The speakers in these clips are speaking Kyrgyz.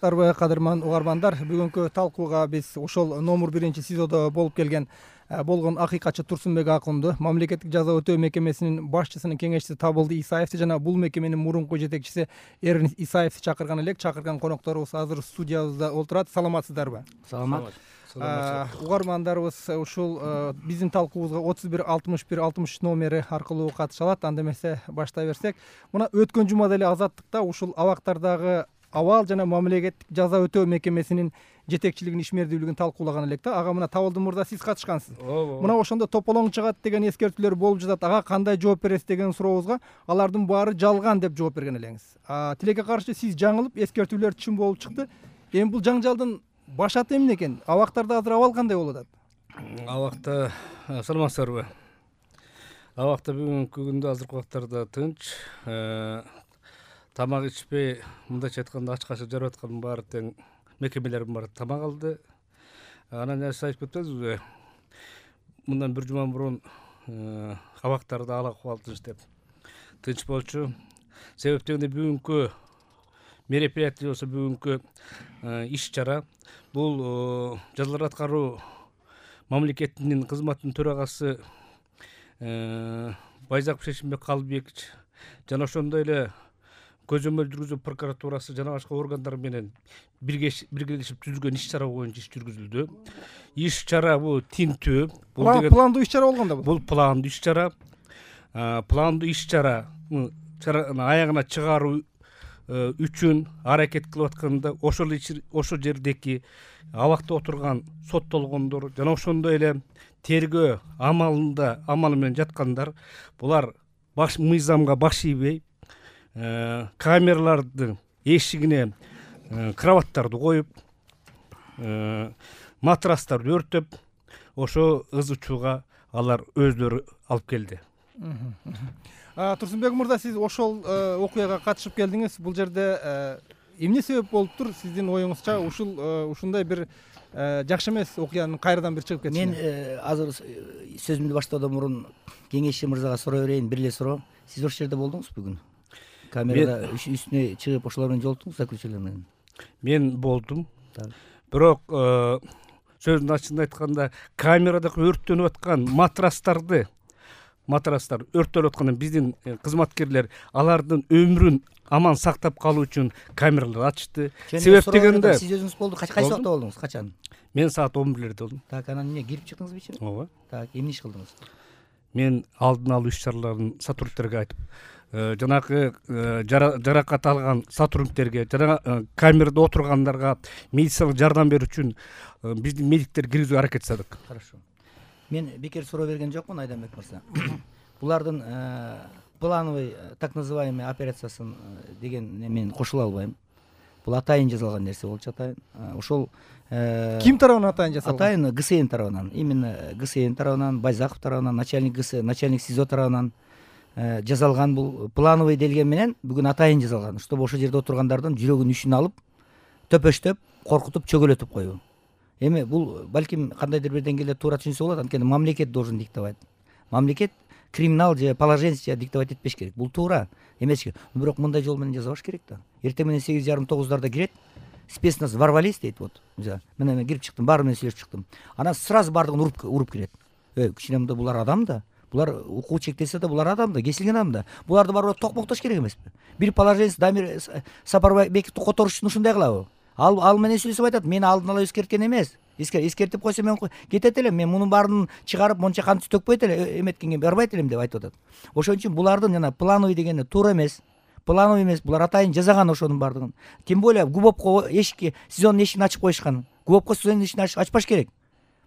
саламатсыздарбы кадырман угармандар. Бүгүнкү талкууга биз ошол номер 1-сезондо болуп келген болгон акыйкатчы Турсунбек акынды, мамлекеттик жаза өтөө мекемесинин башчысынын кеңешчиси Табылды Исаевди жана бул мекеменин мурунку жетекчиси Эрин Исаевди чакырган элек. Чакырган конокторубуз азыр студиябызда олтурат. Саламатсыздарбы? Саламат. Угармандарыбыз ушул биздин талкуубузга 31-61-63 номери аркылуу катыша алат. Анда эмесе баштай берсек, мына өткөн жумада эле Азаттыкта ушул абактардагы абал жана мамлекеттик жаза өтөө мекемесинин жетекчилигин ишмердүүлүгүн талкуулаган элек да. Ага мына Табылды мырза сиз катышкансыз. Мына ошондо тополоң чыгат деген эскертүүлөр болуп жатат. Ага кандай жооп бересиз деген сурообузга алардын баары жалган деп жооп берген элеңиз. Тилекке каршы сиз жаңылып, эскертүүлөр чын болуп чыкты. Эми бул жаңжалдын башаты эмне экен? Абактарда азыр абал кандай болуп атат? Абакта саламатсыздарбы? Абакта бүгүнкү күндө азыркы убактарда тынч, тамак ичпей, мындайча айтканда ачкачы жарып аткан баары тең мекемелердин баары тамак алды. Анан сиз айтып кетпедиңизби? Мындан бир жума мурун абактарда ал акыбал тынч болчу. Себеп дегенде бүгүнкү мероприятие болсо, бүгүнкү иш чара бул жазалар аткаруу мамлекетинин кызматынын төрагасы Байзаков Шешимбек Калыбекович жана ошондой эле көзөмөл жүргүзүү прокуратурасы жана башка органдар менен биргелешип түзүлгөн иш чара боюнча иш жүргүзүлдү. Иш чара бул тинтүү. Бул пландуу иш чара болгондо бул пландуу иш чара. Пландуу иш чараны аягына чыгаруу үчүн аракет кылып атканда ошол жердеки абакта отурган соттолгондор жана ошондой эле тергөө амалы менен жаткандар, булар мыйзамга баш ийбей, камералардын эшигине кроваттарды коюп, матрастарды өртөп, ошо ыз учууга алар өздөрү алып келди. Турсунбек мырза, сиз ошол окуяга катышып келдиңиз. Бул жерде эмне себеп болуптур? Сиздин оюңузча ушундай бир жакшы эмес окуянын кайрадан бир чыгып кетиши? Мен азыр сөзүмдү баштоодон мурун кеңешчи мырзага суроо берейин, бир эле суроо. Сиз ошол жерде болдуңузбу бүгүн? Камерада үстүнө чыгып ошолор менен жолуктуңуз, заключениялар менен? Мен болдум. Бирок сөздүн ачыгын айтканда, камерадагы өрттөнүп аткан матрастар өрттөлүп атканда биздин кызматкерлер алардын өмүрүн аман сактап калуу үчүн камералар ачты. Себеп дегенде сиз өзүңүз болду, качан убакта болдуңуз? Качан? Мен саат 11-лерде болдум. Так, анан эмне кирип чыктыңызбы ичине? Ооба. Так, эмне иш кылдыңыз? Мен алдын алуу иш чараларын сотрудниктерге айтып, жанагы жаракат алган сотрудниктерге жана камерада отургандарга медициналык жардам берүү үчүн биздин медиктер киргизүүгө аракет жасадык. Хорошо. Мен бекер суроо берген жокмун, Айданбек мырза. Булардын плановый так называемый операциясын деген мен кошула албайм. Бул атайын жасалган нерсе болчу, атайын. Ошол ким тарабынан атайын жасалган? Атайын ГСН тарабынан, именно ГСН тарабынан, Байзаков тарабынан, начальник СИЗО тарабынан жасалган. Бул плановый делген менен бүгүн атайын жасалган, чтобы ошол жерде отургандардын жүрөгүнүн ишин алып, төпөштөп, коркутуп, чөгөлөтүп коюу. Эми бул балким кандайдыр бир деңгээлде туура түшүнсө болот, анткени мамлекет должен диктовать. Мамлекет криминал же положенчески диктовать этпеш керек. Бул туура эмес. Бирок мындай жол менен жазабаш керек да. Эртең менен 8:30-9:00 кирет. Спецназ ворвались дейт, вот. Мен кирип чыктым, баары менен сүйлөшүп чыктым. Анан сразу бардыгын уруп кирет. Кичине мында булар адам да. Булар укугу чектелсе да, булар адам да, кесилген адам да. Буларды барып токмоктош керек эмеспи? Бир положенец Дамир Сапарбековду которуш үчүн ушундай кылабы? Ал менен сүйлөшүп айтат, мени алдын ала эскерткен эмес. Эскертип койсо мен кетет элем, мен мунун баарын чыгарып монча кантип төкпөйт эле, эметкенге барбайт элем деп айтып атат. Ошон үчүн булардын жана плановый дегени туура эмес. Плановый эмес, булар атайын жасаган ошонун бардыгын. Тем более ГУБОПко СИЗОнун эшигин ачып коюшкан. ГУБОПко СИЗОнун эшигин ачпаш керек.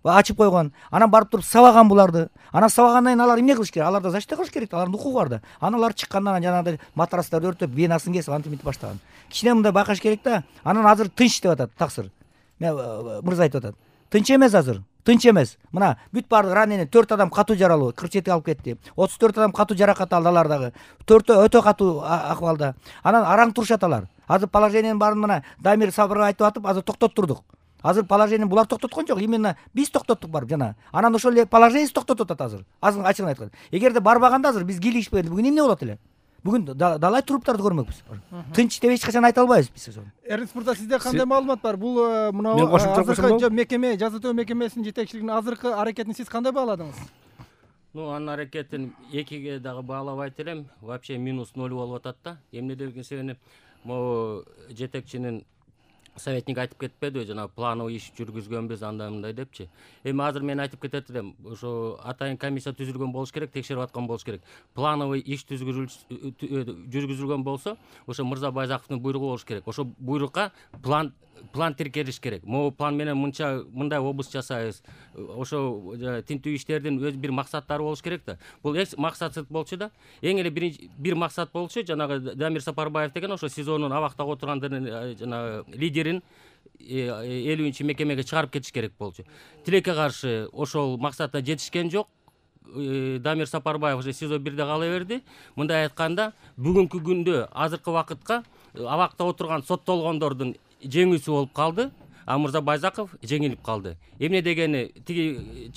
Ачып койгон. Анан барып туруп сабаган буларды. Анан сабагандан кийин алар эмне кылыш керек? Аларда защита кылыш керек, алардын укугу бар да. Анан алар чыккандан жанагындай матрастарды өртөп, венасын кесип, антип мынтип баштаган. Кичине мындай байкаш керек да. Анан азыр тынч деп атат, таксыр. Мырза айтып атат. Тынч эмес азыр. Тынч эмес. Мына бүт бардык раненый 4 адам катуу жаралуу, 47 алып кетти. 34 адам катуу жаракат алды алардагы. 4 өтө катуу акыбалда. Анан араң турушат алар. Азыр положениянын баарын мына Дамир Сабырга айтып атып, азыр токтоттурдук. Азыр положение булар токтоткон жок, именно биз токтоттук барып жана. Анан ошол эле положение токтотуп атат азыр. Ачыгын айтканда. Эгерде барбаганда азыр биз кийлигишпегенде бүгүн эмне болот эле? бүгүн далай туруптарды көрмөкпүз. Тынч деп эч качан айта албайбыз биз. Эрнис мырза, сизде кандай маалымат бар? Бул мына азыркы мекеме, жаза өтөө мекемесинин жетекчилигинин азыркы аракетин сиз кандай бааладыңыз? Анын аракетин 2ге дагы баалабайт элем. Вообще минус 0 болуп атат да. Эмне дегенде могу жетекчинин советник айтып кетпедиби, жана плановый иш жүргүзгөнбүз андай мындай депчи. Эми азыр мен айтып кетет элем, ошо атайын комиссия түзүлгөн болуш керек, текшерип аткан болуш керек. Плановый иш жүргүзүлгөн болсо, ошо Мырза Байзаковдун буйругу болуш керек. Ошо буйрукка план тиркелиш керек. Могу план менен мындай область жасайбыз. Ошо тинтүү иштердин өз бир максаттары болуш керек да. Бул максатсыз болчу да. Эң эле бир максат болчу, жанагы Дамир Сапарбаев деген ошо СИЗОнун абактагы отургандардын жанагы лидерин 50-нчи мекемеге чыгарып кетиш керек болчу. Тилекке каршы ошол максатына жетишкен жок. Дамир Сапарбаев уже СИЗО 1де кала берди. Мындай айтканда, бүгүнкү күндө азыркы вакытка абакта отурган соттолгондордун жеңүүсү болуп калды, а Мырза Байзаков жеңилип калды. Эмне дегени, тигини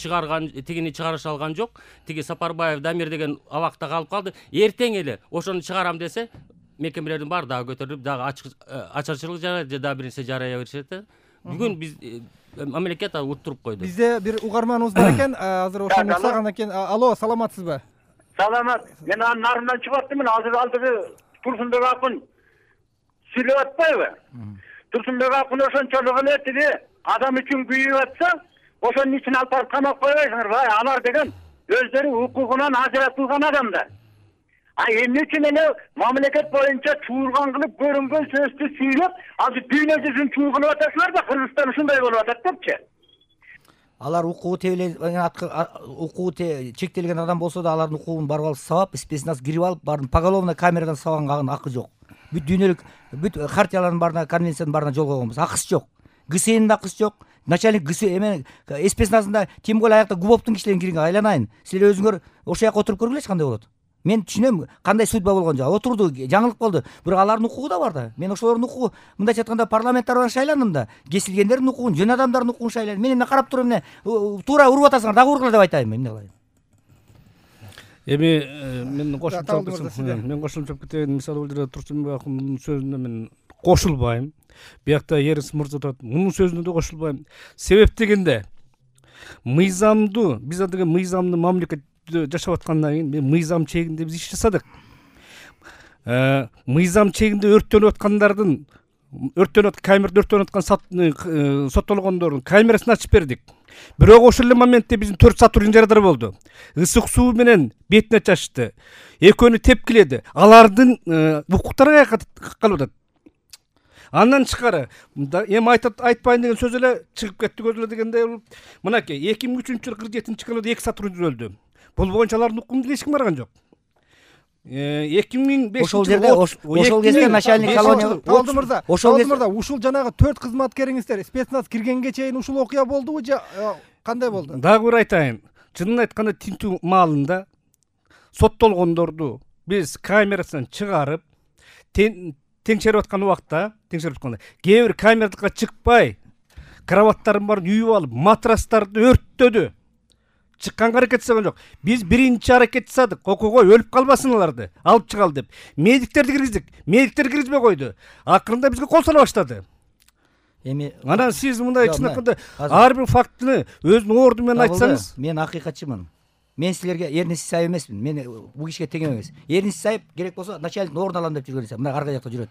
чыгарыша алган жок. Тиги Сапарбаев Дамир деген абакта калып калды. Эртең эле ошону чыгарам десе, мекемелердин баары дагы көтөрүлүп, дагы ачарчылык жарайт, же дагы бир нерсе жарая беришет. Бүгүн биз мамлекет уттуруп койду. Бизде бир угарманыбыз бар экен, азыр ошону саган экен. Алло, саламатсызбы? Саламат. Мен анын нарынан чыгып аттым. Азыр алдыгы Турсунбек акын сүйлөп атпайбы? Турсунбек акын ошончолук эле тиги адам үчүн күйүп атса, ошонун ичине алып барып камап койбойсуңарбы? Алар деген өздөрү укугунан ажыратылган адамдар. Эмне үчүн эле мамлекет боюнча чуурган кылып көрүнгөн сөздү сүйлөп, азыр дүйнө жүзүн чуургунуп атасыңар да, Кыргызстан ушундай болуп атат депчи. Алар укугу чектелген адам болсо да, алардын укугун барып алып сабап, спецназ кирип алып, баарын поголовно камерадан сабанганга акы жок. Бүт дүйнөлүк хартиялардын баарына, конвенциянын баарына жол койгонбуз. Акысы жок. ГСНдин акысы жок. Начальник спецназында тем более аякта Губовдун кишилерин кирген, айланайын. Силер өзүңөр ошол жака отуруп көргүлөчү кандай болот. Мен түшүнөм кандай судьба болгон жок. Отурду, жаңылык болду. Бирок алардын укугу да бар да. Мен ошолордун укугу, мындайча айтканда, парламент тарабынан шайландым да. Кесилгендердин укугун, жөн адамдардын укугун шайландым. Мен эмне карап туруп эмне туура уруп атасыңар, дагы ургула деп айтайынбы, эмне кылайын? Эми мен кошумча кетейин. Мисалы бул жерде Турсунбек акындын сөзүнө мен кошулбайм. Биякта Эрнис мырза турат, мунун сөзүнө да кошулбайм. Себеп дегенде биз деген мыйзамдуу мамлекет жашап аткандан кийин мыйзам чегинде биз иш жасадык. Мыйзам чегинде өрттөнүп аткандардын, камерада өрттөнүп аткан соттолгондордун камерасын ачып бердик. Бирок ошол эле моментте биздин 4 сотрудник жарадар болду. Ысык суу менен бетине чачты. Экөөнү тепкиледи. Алардын укуктары калып атат. Андан тышкары эми айтпайын деген сөз эле чыгып кетти көзүлө дегендей болуп. Мынакей 2003-жылы 47-жылы 2 сотрудник өлдү. Бул боюнча алардын укугунда эч ким барган жок. 2005 ошол кезде начальник колония Талды мырза, ушул жанагы 4 кызматкериңиздер спецназ киргенге чейин ушул окуя болдубу же кандай болду? Дагы бир айтайын. Чынын айтканда тинтүү маалында соттолгондорду биз камерасынан чыгарып теңшерип аткан убакта, кээ бир камерадыкка чыкпай, кроваттарын баарын үйүп алып, матрастарды өрттөдү. Чыкканга аракет жасаган жок. Биз биринчи аракет жасадык. Окуйгой өлүп калбасын аларды, алып чыгалы деп. Медиктерди киргиздик. Медиктер киргизбей койду. Акырында бизге кол сала баштады. Эми анан сиз мындай чын айтканда ар бир фактыны өзүнүн орду менен айтсаңыз. Мен акыйкатчымын. Мен силерге Эрнис Исаев эмесмин. Мен бул кишиге тең эмес. Эрнис Исаев керек болсо начальниктин ордун алам деп жүргөн эсе. Мына арка жакта жүрөт.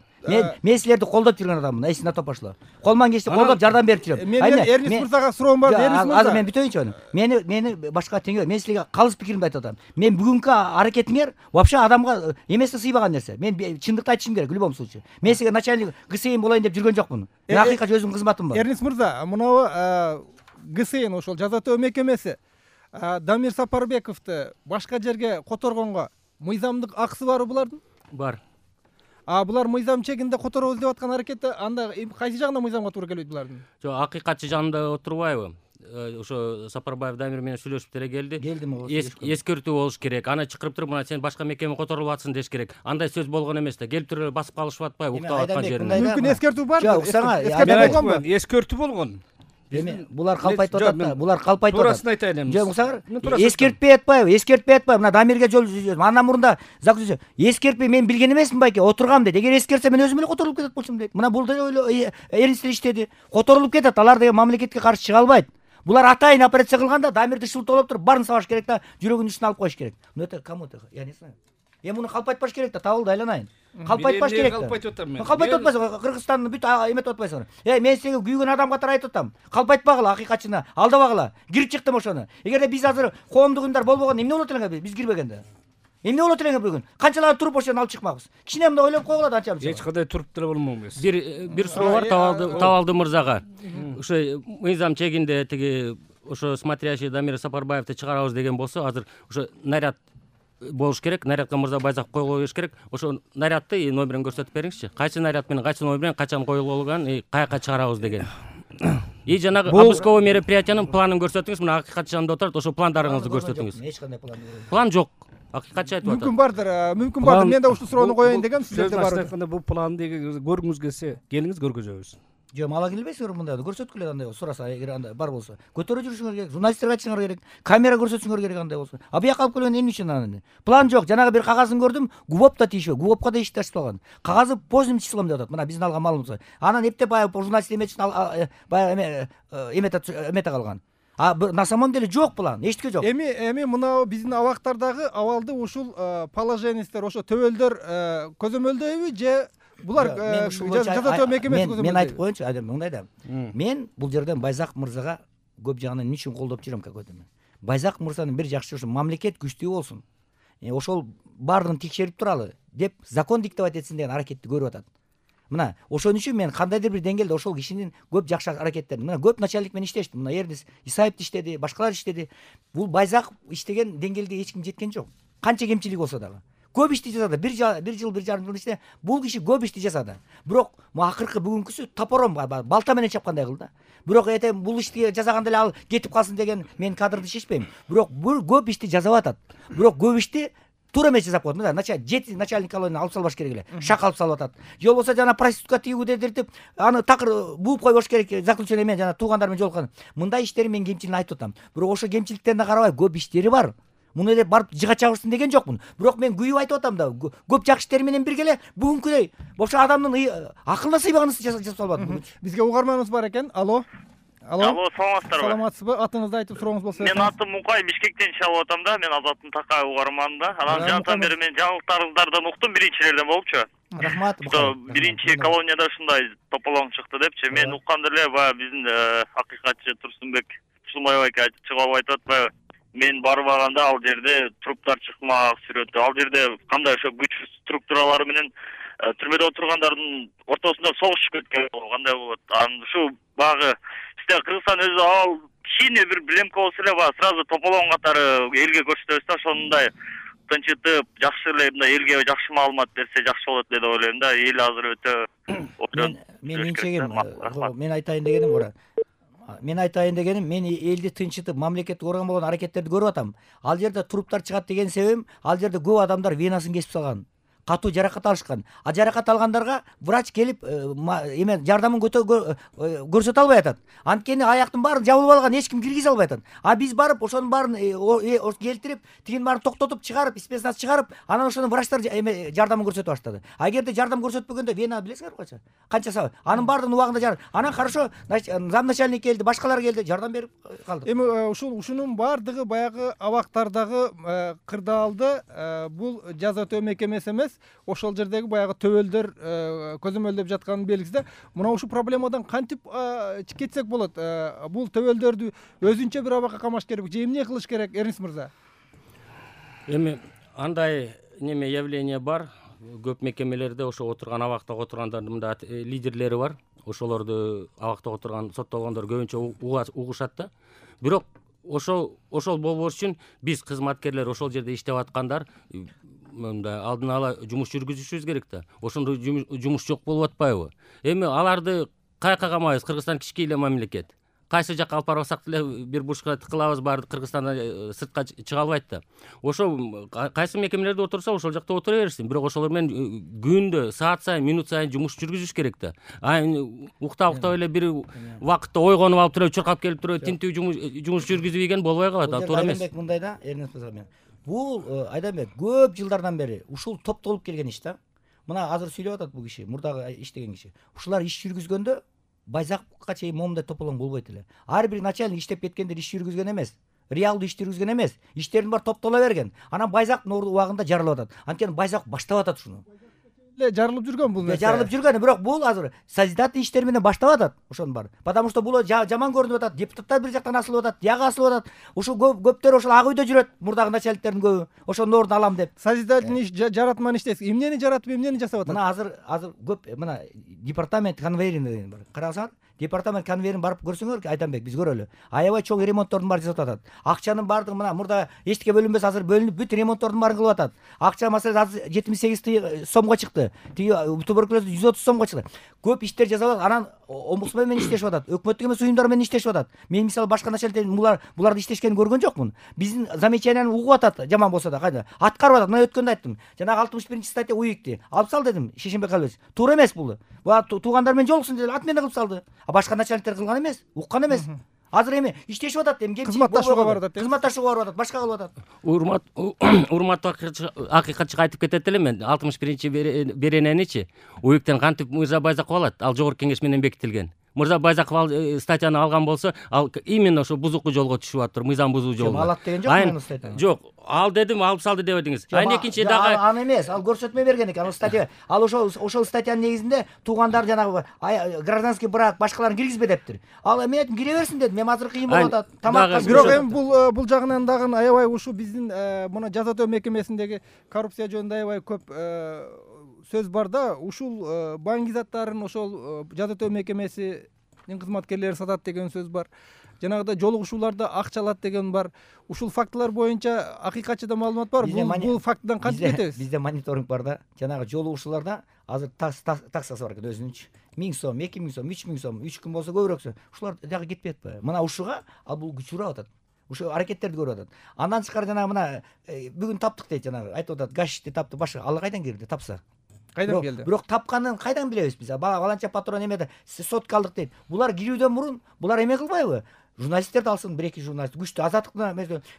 Мен силерди колдоп жүргөн адаммын. Эсине топошло. Колман кечте колдоп жардам берип жүрөм. Мен Эрнис мырзага суроом бар. Эрнис мырза. Азыр мен бүтөйүнчү аны. Мени башка тең. Мен силерге калыс пикиримди айтып атам. Мен бүгүнкү аракетиңер вообще адамга эместе сыйбаган нерсе. Мен чындыкты айтышым керек в любом случае. Мен силерге начальник ГСН болоюн деп жүргөн жокмун. Мен акыйкат өзүмдүн кызматым бар. Эрнис мырза, мынабы ГСН ошол жаза өтөө мекемеси Дамир Сапарбековду башка жерге которгонго мыйзамдык акысы барбы булардын? Бар. Булар мыйзам чегинде которобуз деп аткан аракетте анда кайсы жагынан мыйзамга туура келбейт булардын? Жок, акыйкатчы жанында отурбайбы? Ошо Сапарбаев Дамир менен сүйлөшүп деле келди. Эскертүү болуш керек. Аны чакырып туруп, мына сен башка мекеме которулуп атсың деш керек. Андай сөз болгон эмес да. Келип туруп басып калышып атпайбы, уктап аткан жеринде. Мүмкүн эскертүү бар. Жок, эскертүү болгонбу? Эскертүү болгон. эми булар калп айтып атат да, булар калп айтып атат. Туурасын айтайын эми. Жок, мусаңар, эскертпей атпайбы, мына Дамирге жол андан мурда заключение эскертпей мен билген эмесмин байке, отургам дейт. Эгер эскертсе мен өзүм эле которулуп кетет болчумун дейт. Мына бул деле эринистер иштеди, которулуп кетет. Алар деген мамлекетке каршы чыга албайт. Булар атайын операция кылганда Дамирди шылтоолоп туруп баарын сабаш керек да, жүрөгүнүн үстүнө алып коюш керек. Это кому это? Я не знаю. Эми муну калп айтпаш керек да, табылды, айланайын. Калп айтпаш керек да. Калп айтып атам мен. Калп айтып атпайсың, Кыргызстандын бүт эметип атпайсыңар. Мен сиңе күйгөн адам катары айтып атам. Калп айтпагыла, акыйкатчыны алдабагыла. Кирип чыктым ошону. Эгерде биз азыр коомдук уюмдар болбогондо эмне болот элеңер биз кирбегенде? Эмне болот элеңер бүгүн? Канчалар туруп ошону алып чыкмакбыз. Кичине мындай ойлоп койгула да анча. Эч кандай туруп деле болмокпуз. Бир суроо бар Табалды мырзага. Ошо мыйзам чегинде тиги ошо смотрящий Дамир Сапарбаевди чыгарабыз деген болсо, азыр ошо наряд болуш керек. Нарядка мырза Байзаков коюлуп бериш керек. Ошо нарядты номерин көрсөтүп бериңизчи. Кайсы наряд менен кайсы номер менен качан коюлган, каяка чыгарабыз деген. И жанагы обысковый мероприятиянын планын көрсөтүңүз. Мына акыйкатчы жанында отурат, ошо пландарыңызды көрсөтүңүз. Эч кандай план жок. План жок. Акыйкатчы айтып атат. Мүмкүн бардыр. Мен да ушул суроону коеюн дегем, сиздерде бар. Айтканда бул планды көргүңүз келсе, келиңиз көргөзөбүз. Жок, ала келбейсиңер мындайды, көрсөткүлө андай сураса, эгер андай бар болсо. Көтөрүп жүрүшүңөр керек, журналисттерге айтышыңар керек, камера көрсөтүшүңөр керек андай болсо. А бияка алып келген эмне үчүн аны? План жок, жанагы бир кагазын көрдүм, ГУВОП да тийишпей, ГУВОПко да ишти ачпаган. Кагазы поздним числом деп атат. Мына биздин алган маалыматыбыз. Анан эптеп баягы журналист эметишин баягы эмете калган. А на самом деле жок план, эчтеке жок. Эми мына биздин абактардагы абалды ушул положениестер, ошо төбөлдөр көзөмөлдөйбү же булар жаза мекемеси көзөмөлдөйбү? Мен айтып коеюнчу, мындай да. Мен бул жерден Байзаков мырзага көп жагынан эмне үчүн колдоп жүрөм какой-то мен. Байзаков мырзанын бир жакшы ошо мамлекет күчтүү болсун. Ошол баарын текшерип туралы деп закон диктовать этсин деген аракетти көрүп атат. Мына ошон үчүн мен кандайдыр бир деңгээлде ошол кишинин көп жакшы аракеттерин, мына көп начальник менен иштештим. Мына Эрдис Исаев иштеди, башкалар иштеди. Бул Байзаков иштеген деңгээлде эч ким жеткен жок. Канча кемчилик болсо дагы. Көп ишти жасады. Бир жыл, бир жарым жыл ичинде бул киши көп ишти жасады. Бирок акыркы бүгүнкүсү топором балта менен чапкандай кылды. Бирок бул ишти жасаганда эле ал кетип калсын деген мен кадрды чечпейм. Бирок бул көп ишти жасап атат. Бирок көп ишти туура эмес жасап коет. Мына начальник колонияны алып салбаш керек эле. Шак алып салып атат. Же болбосо жана проститутка тигүүгү дедиртип, аны такыр бууп койбош керек. Заключение менен жана туугандар менен жолуккан. Мындай иштери мен кемчилигин айтып атам. Бирок ошо кемчиликтерине карабай көп иштери бар. Муну эле барып жыга чабышсын деген жокмун. Бирок мен күйүп айтып атам да, көп жакшы иштери менен бирге эле бүгүнкүдөй ошо адамдын акылына сыйбаган ишти жасап салбады. Бизге угарманыбыз бар экен. Алло, саламатсыздарбы? Саламатсызбы? Атыңызды айтып сурооңуз болсо. Менин атым Мукай, Бишкектен чалып атам да. Мен Азаттын Такай угарманында. Анан жантан бери мен жаңылыктарыңыздардан уктум, биринчилерден болупчу. Рахмат. Биринчи колонияда ушундай тополоң чыкты депчи. Мен укканда эле баягы биздин акыйкатчы Турсунбек Шулмаев айке чыгып айтып атпайбы? Мен барбаганда ал жерде труптар чыкмак сүрөтү. Ал жерде кандай ошо күч структуралары менен түрмөдө отургандардын ортосунда согуш өткөн кандай болот? Анан ушу багы сизде Кыргызстан өзү ал кичине бир билемке болсо эле баягы сразу тополоң катары элге көрсөтөбүз да, ошондой тынчытып, жакшы эле мындай элге жакшы маалымат берсе жакшы болот эле деп ойлойм да. Эл азыр өтө мен менчегим, мен айтайын дегеним мен элди тынчытып мамлекетти коргон болгон аракеттерди көрүп атам. Ал жерде труптар чыгат деген себебим, ал жерде көп адамдар венасын кесип салган, катуу жаракат алышкан. А жаракат алгандарга врач келип жардамын көрсөтө албай атат. Анткени аяктын баарын жабылып алган, эч ким киргизе албай атат. А биз барып ошонун баарын келтирип, тигинин баарын токтотуп чыгарып, спецназ чыгарып, анан ошону врачтар жардамын көрсөтө баштады. А эгерде жардам көрсөтпөгөндө вена билесиңерби канча сабай? Анын баардыгын убагында анан хорошо замначальник келди, башкалар келди, жардам берип калдык. Эми ушунун баардыгы баягы абактардагы кырдаалды бул жаза өтөө мекемеси эмес, ошол жердеги баягы төбөлдөр көзөмөлдөп жатканын белгиси да. Мына ушул проблемадан кантип кетсек болот? Бул төбөлдөрдү өзүнчө бир абакка камаш керек же эмне кылыш керек, Эрнис мырза? Эми андай неме явление бар. Көп мекемелерде ошо отурган абактагы отургандардын мында лидерлери бар. Ошолорду абактагы отурган соттолгондор көбүнчө угушат да. Бирок ошол болбош үчүн биз кызматкерлер ошол жерде иштеп аткандар мындай алдын ала жумуш жүргүзүшүбүз керек да. Ошондой жумуш жок болуп атпайбы? Эми аларды каяка камайбыз? Кыргызстан кичкей эле мамлекет. кайсы жакка алып барбасак деле бир бурчка тыкылабыз, баары Кыргызстандан сыртка чыга албайт да. Ошо кайсы мекемелерде отурса ошол жакта отура берсин, бирок ошолор менен күндө, саат сайын, минут сайын жумуш жүргүзүш керек да. Уктап эле бир убакытта ойгонуп алып туруп, чуркап келип туруп, тинтүү жумуш жүргүзбөйгөн болбой калат, ал туура эмес. Мындай да, Эрнест мырза, бул Айданбек көп жылдардан бери ушул топтолуп келген иш да. Мына азыр сүйлөп атат бул киши, мурдагы иштеген киши. Ушулар иш жүргүзгөндө Байзаковго чейин момундай тополоң болбойт эле. Ар бир начальник иштеп кеткендер иш жүргүзгөн эмес. Реалдуу иш жүргүзгөн эмес. Иштердин баары топтола берген. Анан Байзаковдун убагында жарылып атат. Анткени Байзаков баштап атат ушуну. Жарылып жүргөн бул нерсе. Жарылып жүргөн, бирок бул азыр созидательный иштер менен баштап атат ошонун баары. Потому что бул жаман көрүнүп атат. Депутаттар бир жактан асылып атат, тияга асылып атат. Ушул көптөр ошол ак үйдө жүрөт, мурдагы начальниктердин көбү. Ошонун ордун алам деп. Созидательный иш жаратман иштейсиз. Эмнени жаратып, эмнени жасап атат? Мына азыр көп мына департамент конвейерин деген бар. Карасаңар, департамент конвейерин барып көрсөңөр, Айданбек, биз көрөлү. Аябай чоң ремонттордун баарын жасап атат. Акчанын баардыгы мына мурда эчтеке бөлүнбөс азыр бөлүнүп бүт ремонттордун баарын кылып атат. Акча маселеси азыр 78 сомго чыкты. Тиги туберкулез 130 сомго чыкты. Көп иштер жасалат. Анан омбудсмен менен иштешип атат. Өкмөттүк эмес уюмдар менен иштешип атат. Мен мисалы башка начальниктер буларды иштешкенин көргөн жокмун. Биздин замечанияны угуп атат, жаман болсо да, кайда. Аткарып атат. Мына өткөндө айттым. Жанагы 61-статья уйукти. Алып сал дедим, Шешенбек Албекович. Туура эмес бул. Буга туугандар менен жолуксун деп ат менен кылып салды. А башка начальниктер кылган эмес, уккан эмес. Азыр эми иштешип атат, эми кызматташууга барып атат. Кызматташууга барып атат, башка кылып атат. Урматтуу акыйкатчыга айтып кетет элем мен. 61 берененичи уюктан кантип Мырза Байзаков алат? Ал жогорку кеңеш менен бекитилген. Мырза Байзаков ал статьяны алган болсо, ал именно ошо бузуктуу жолго түшүп атыр, мыйзам бузуу жолуна. Алат деген жок мен статьяны. Жок, ал дедим, алып салды деп атыңыз. Экинчи дагы аны эмес, ал көрсөтмө берген экен, ал статья. Ал ошол статьянын негизинде туугандар жанагы гражданский брак башкаларын киргизбе дептир. Ал мен айттым, кире берсин дедим. Мен азыр кыйын болуп атат. Тамак. Бирок эми бул жагынан дагы аябай ушу биздин мына жаза өтөө мекемесиндеги коррупция жөнүндө аябай көп сөз бар да. Ушул баңгизаттарын ошол жаза өтөө мекемесинин кызматкерлери сатат деген сөз бар. Жанагыдай жолугушууларда акча алат деген бар. Ушул фактылар боюнча акыйкатчыда маалымат бар. Бул фактыдан кантип кетебиз? Бизде мониторинг бар да. Жанагы жолугушууларда азыр таксасы бар экен өзүнүнчү. 1000 сом, 2000 сом, 3000 сом, 3 күн болсо көбүрөксө. Ушулар дагы кетпей атпайбы? Мына ушуга ал бул күч урап атат. Ушул аракеттерди көрүп атат. Андан тышкары жанагы мына бүгүн таптык дейт, жанагы айтып атат, гашишти тапты, башка ал кайдан кирди тапса? Кайдан келди? Бирок тапканын кайдан билебиз биз? Баланча патрон эмеде сотка алдык дейт. Булар кирүүдөн мурун булар эме кылбайбы? Журналисттерди алсын, 1-2 журналист, күчтүү азаттыкны,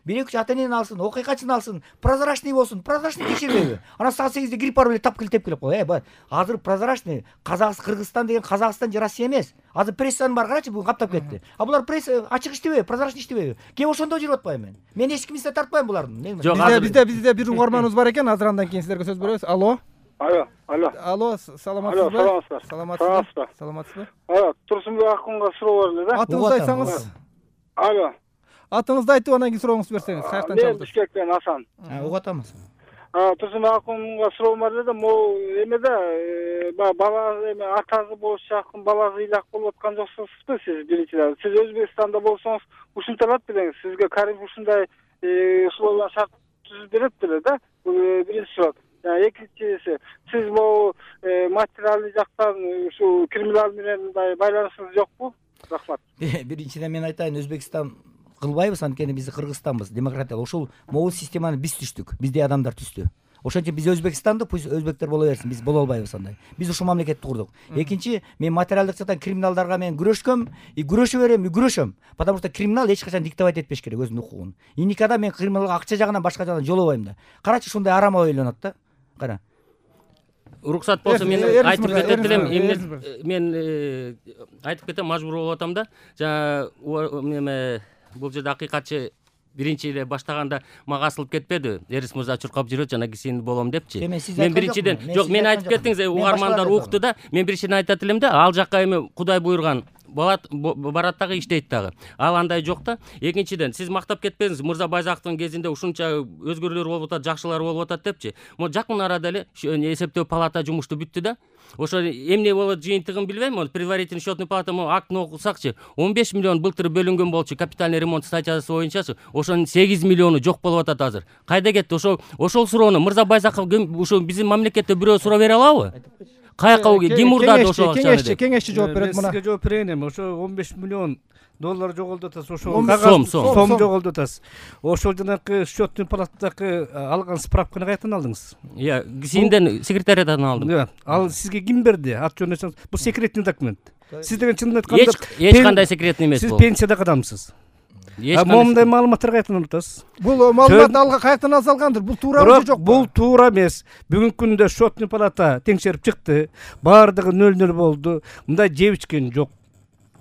1-2 ата-энени алсын, окуйкачыны алсын, прозрачный болсун, прозрачный текшербейби? Анан саат 8де кирип барып эле тап теп келип кой. Азыр прозрачный, Кыргызстан деген Казакстан же Россия эмес. Азыр прессанын баары карачы, бүгүн каптап кетти. А булар пресса ачык иштебейби, прозрачный иштебейби? Кеп ошондо жүрүп атпайбы мен? Мен эч кимди тартпайм булардын. Бизде бир угарманыбыз бар экен, азыр андан кийин силерге сөз беребиз. Алло. Алло, саламатсызбы? Саламатсызбы? Турсунбек Акунга суроо бар эле да. Атыңызды айтсаңыз. Алло. Атыңызды айтып анан кийин сурооңузду берсеңиз. Каяктан чалдыңыз? чалдыңыз? Мен Бишкектен Асан. Угуп атамыз. Турсунбек Акунга суроо бар эле, могу эмеде бала эме атасы болуш жакын баласы ыйлак болуп аткан жоксузбу сиз биринчиден? Сиз Өзбекстанда болсоңуз ушинтелат белеңиз. Сизге Каримов ушундай условия шарт түзүп берет беле да? Бул биринчи суроо. Экинчиси, сиз могу материалдык жактан ушу криминал менен байланышыңыз жокпу? Рахмат. Биринчиден мен айтайын, Өзбекстан кылбайбыз, анткени биз Кыргызстанбыз, демократиялык. Ошол могул системаны биз түштүк, бизде адамдар түздү. Ошон үчүн биз Өзбекстанды, пусть өзбектер боло берсин, биз боло албайбыз андай. Биз ушул мамлекетти курдук. Экинчи, мен материалдык жактан криминалдарга мен күрөшкөм, күрөшө берем, күрөшөм. Потому что криминал эч качан диктовать этпеш керек өзүнүн укугун. И никогда мен криминалга акча жагынан башка жагынан жолобойм да. Карачы, ушундай арам ойлонот да. Кара. Уруксат болсо мен айтып кетет элем. Мен айтып кетем, мажбур болуп атам да. Жана бул жерде акыйкатчы биринчи эле баштаганда мага асылып кетпеди. Эрис мырза чуркап жүрөт, жана кисин болом депчи. Мен биринчиден жок, мен айтып кеттиңиз, угармандар укту да. Мен биринчиден айтат элем да, ал жакка эми Кудай буйруган барат дагы иштейт дагы. Ал андай жок да. Экинчиден, сиз мактап кетпеңиз, Мырза Байзаковдун кезинде ушунча өзгөрүүлөр болуп атат, жакшылар болуп атат депчи. Могу жакын арада эле эсептөө палата жумушту бүттү да. Ошо эмне болот жыйынтыгын билбейм, предварительный счетный палата актын окусакчы, 15 миллион былтыр бөлүнгөн болчу капитальный ремонт статьясы боюнчачы, ошонун 8 миллиону жок болуп атат азыр. Кайда кетти? Ошол суроону Мырза Байзаков ошо биздин мамлекетте бирөө суроо бере алабы? каяка Гимурдада ошол акчаны кеңешчи жооп берет мен мына. сизге жооп берейин эми. Ошо 15 миллион доллар жоголду атасыз. Ошо сом жоголду атасыз. Ошол жанакы счетный палатадагы алган справканы каяктан алдыңыз? ГСИнден секретариядан алдым. Ал сизге ким берди? Ат жөнүн айтсаңыз, бул секретный документ. Сиз деген чынын айтканда эч кандай секретный эмес сиз бул. пенсияда кадамсыз. Момундай маалыматтар каяктан алатасыз? Бул маалымат алга каяктан алсалгандыр? Бул туурабы же жокпу? Бул туура эмес. Бүгүнкү күндө счетный палата теңшерип чыкты. Баардыгы 0-0 болду. Мындай жеп ичкен жок.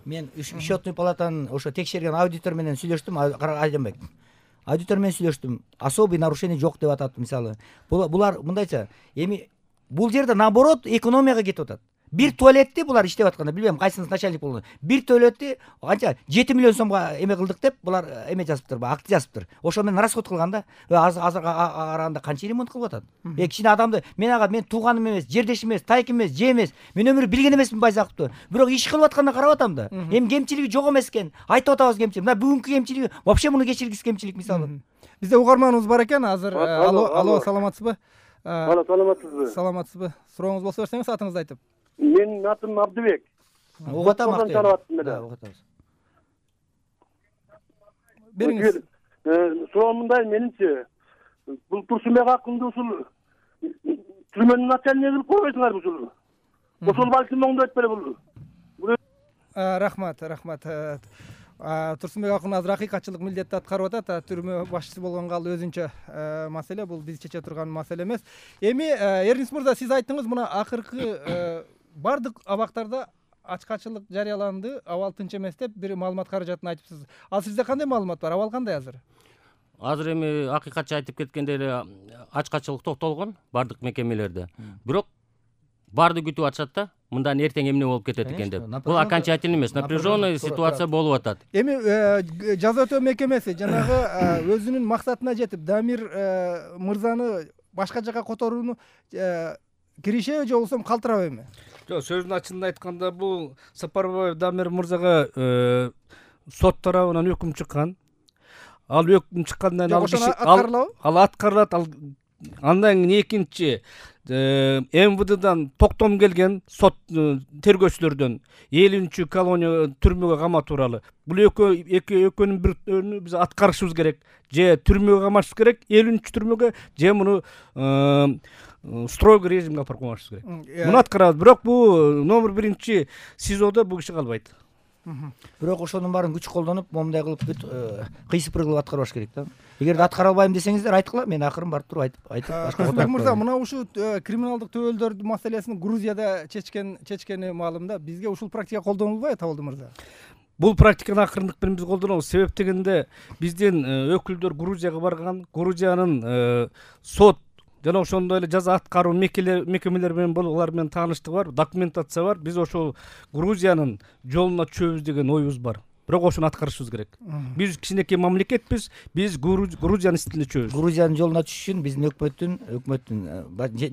Мен счетный палатанын ошо текшерген аудитор менен сүйлөштүм, Айданбек. Аудитор менен сүйлөштүм. Особый нарушение жок деп атат, мисалы. Булар мындайча, эми бул жерде наоборот экономияга кетип атат. Бир туалетти булар иштеп атканда, билбейм кайсынысы начальник болгон. Бир туалетти канча 7 миллион сомго эме кылдык деп булар эме жазыптыр, акт жазыптыр. Ошо менен расход кылганда азыр араганда канча ремонт кылып атат. Кичине адамды мен тууганым эмес, жердешим эмес, тайкым эмес, же эмес. Мен өмүрү билген эмесмин Байзаковду. Бирок иш кылып аткандан карап атам да. Эми кемчилиги жок эмес экен. Айтып атабыз кемчилик. Мына бүгүнкү кемчилиги вообще муну кечиргис кемчилик мисалы. Бизде угарманыбыз бар экен азыр. Алло, саламатсызбы? Саламатсызбы? Саламатсызбы? Сурооңуз болсо берсеңиз атыңызды айтып. Менин атым Абдыбек. Угуп атам. Бериңиз. Бериңиз. Суроом мындай, менимче, бул Турсунбек акынды ушул түрмөнүн начальниги кылып койбойсуңарбы ушул? Ошол балким оңдо этпеле бул. Рахмат. Турсунбек акын азыр акыйкатчылык милдетти аткарып атат. Түрмө башчысы болгонго ал өзүнчө маселе, бул биз чече турган маселе эмес. Эми Эрнис мырза, сиз айттыңыз мына акыркы бардык абактарда ачкачылык жарыяланды, абал тынч эмес деп бир маалымат каражатын айтыпсыз. Ал сизде кандай маалымат бар? Абал кандай азыр? Азыр эми акыйкатчы айтып кеткендей эле ачкачылык токтолгон бардык мекемелерде. Бирок барды күтүп атышат да, мындан эртең эмне болуп кетет экен деп. Бул окончательный эмес, напряженный ситуация болуп атат. Эми жаза өтөө мекемеси жанагы өзүнүн максатына жетип, Дамир мырзаны башка жака которууну киришеби же болбосо калтырабайбы? Жок, сөздүн ачыгын айтканда бул Сапарбаев Дамир мырзага сот тарабынан өкүм чыккан. Ал өкүм чыккандан ал аткарылат. Андан кийин экинчи МВДдан токтом келген сот тергөөчүлөрдөн 50 колония түрмөгө камоо тууралуу. Бул экөөнүн бирөөнү биз аткарышыбыз керек. Же түрмөгө камашыбыз керек, 50 түрмөгө, же муну строгий режимге алып барып камашыбыз керек. Муну аткарабыз. Бирок бул номер 1 СИЗОдо бул киши калбайт. Бирок ошонун баарын күч колдонуп, момундай кылып кыйсыпыр кылып аткарбаш керек да. Эгерде аткара албайм десеңиздер айткыла, мен акырын барып туруп айтып Турсунбек мырза, мына ушул криминалдык төбөлдөрдүн маселесин Грузияда чечкени маалым да. Бизге ушул практика колдонулбайбы, Табылды мырза? Бул практиканы акырындык менен биз колдонобуз. Себеп дегенде биздин өкүлдөр Грузияга барган, Грузиянын сот жана ошондой эле жаза аткаруу мекемелери менен булар менен тааныштык бар, документация бар. Биз ошол Грузиянын жолуна түшөбүз деген оюбуз бар. Бирок ошону аткарышыбыз керек. Биз кичинекей мамлекетпиз, биз Грузиянын стилине түшөбүз. Грузиянын жолуна түшүш үчүн биздин өкмөттүн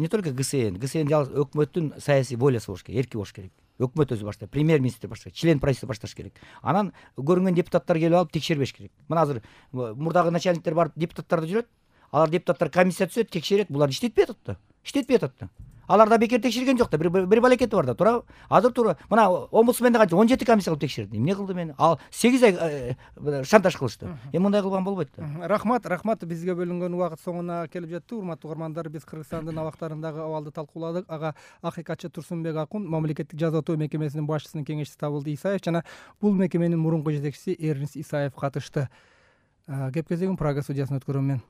не только ГСН жалгыз өкмөттүн саясий волясы болуш керек, эрки болуш керек. Өкмөт өзү баштайт, премьер-министр баштайт, член правительства башташ керек. Анан көрүнгөн депутаттар келип алып текшербеш керек. Мына азыр мурдагы начальниктер барып депутаттарды жүрөт. Алар депутаттар комиссия түзөт, текшерет, булар иштетпей атат да. Алар да бекер текшерген жок да, бир балекети бар да, туурабы? Азыр туура, мына омбудсменде канча 17 комиссия кылып текшерди. Эмне кылды мени? Ал 8 ай шантаж кылышты. Мындай кылган болбойт да. Рахмат, бизге бөлүнгөн убакыт соңуна келип жетти. Урматтуу угармандар, биз Кыргызстандын абактарындагы абалды талкууладык. Ага акыйкатчы Турсунбек Акун, мамлекеттик жаза өтөө мекемесинин башчысынын кеңешчиси Табылды Исаев жана бул мекеменин мурунку жетекчиси Эрнис Исаев катышты. Кеп кезегин Прага судьясына өткөрөм мен.